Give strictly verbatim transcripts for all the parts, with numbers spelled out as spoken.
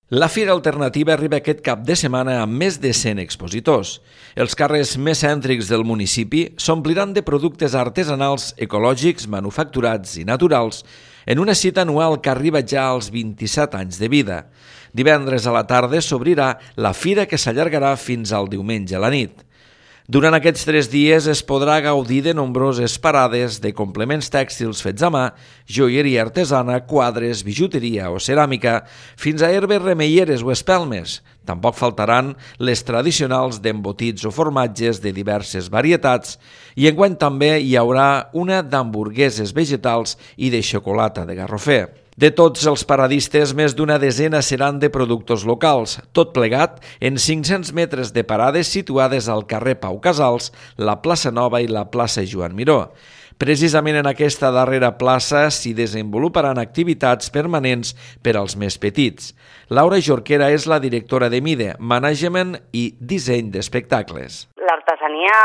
La Fira Alternativa arriba aquest cap de setmana amb més de cent expositors. Els carrers més cèntrics del municipi s'ompliran de productes artesanals, ecològics, manufacturats i naturals en una cita anual que arriba ja als vint-i-set anys de vida. Divendres a la tarda s'obrirà la fira que s'allargarà fins al diumenge a la nit. Durant aquests tres dies es podrà gaudir de nombroses parades de complements tèxtils fets a mà, joieria artesana, quadres, bijuteria o ceràmica, fins a herbes remeieres o espelmes. Tampoc faltaran les tradicionals d'embotits o formatges de diverses varietats i enguany també hi haurà una d'hamburgueses vegetals i de xocolata de Garrofer. De tots els paradistes, més d'una desena seran de productors locals, tot plegat en cinc-cents metres de parades situades al carrer Pau Casals, la plaça Nova i la plaça Joan Miró. Precisament en aquesta darrera plaça s'hi desenvoluparan activitats permanents per als més petits. Laura Jorquera és la directora de MIDE, Management i Disseny d'Espectacles. L'artesania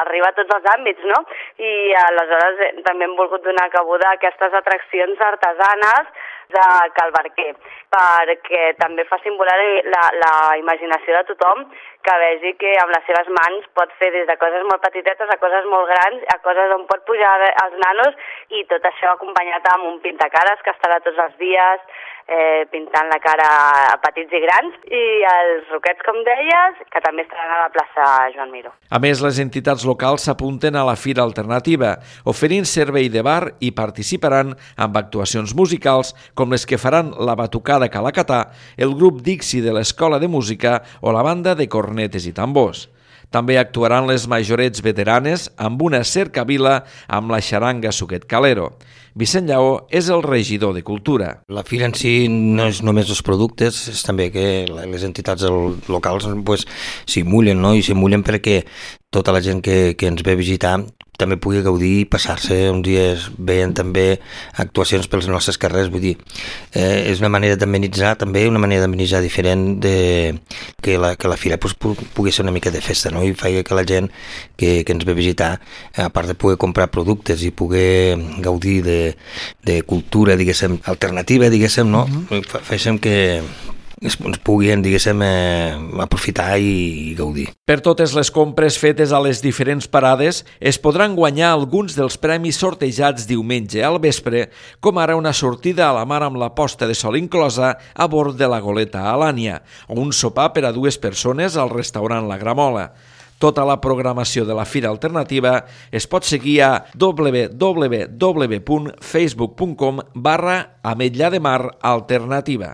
arriba a tots els àmbits, no? I aleshores també hem volgut donar cabuda a aquestes atraccions artesanes de Cal Barquer, perquè també facin volar la, la imaginació de tothom, que vegi que amb les seves mans pot fer des de coses molt petitetes a coses molt grans, a coses on pot pujar els nanos, i tot això acompanyat amb un pintacares que estarà tots els dies eh, pintant la cara a petits i grans, i els roquets, com deies, que també estaran a la plaça Joan Miró. A més, les entitats locals s'apunten a la Fira Alternativa, oferint servei de bar i participaran amb actuacions musicals com les que faran la Batucada Calacatà, el grup Dixi de l'Escola de Música o la banda de cornetes i tambors. També actuaran les majorets veteranes amb una cercavila amb la xaranga Suquet Calero. Vicent Lleó és el regidor de Cultura. La fira en si no és només els productes, és també que les entitats locals pues, s'hi mullen, no? I s'hi mullen perquè tota la gent que, que ens ve a visitar també pugui gaudir i passar-se uns dies veient també actuacions pels nostres carrers. Vull dir, eh, és una manera d'amenitzar també, una manera d'amenitzar diferent de que la, que la fira pues, pugui ser una mica de festa, no? I faci que la gent que, que ens ve a visitar, a part de poder comprar productes i poder gaudir de, de cultura, diguéssim, alternativa, diguéssim, no? Mm-hmm. Féssim que ens puguin, diguéssim, eh, aprofitar i, i gaudir. Per totes les compres fetes a les diferents parades es podran guanyar alguns dels premis sortejats diumenge al vespre, com ara una sortida a la mar amb la posta de sol inclosa a bord de la goleta Alània, o un sopar per a dues persones al restaurant La Gramola. Tota la programació de la Fira Alternativa es pot seguir a w w w punt facebook punt com barra Ametlla de Mar Alternativa.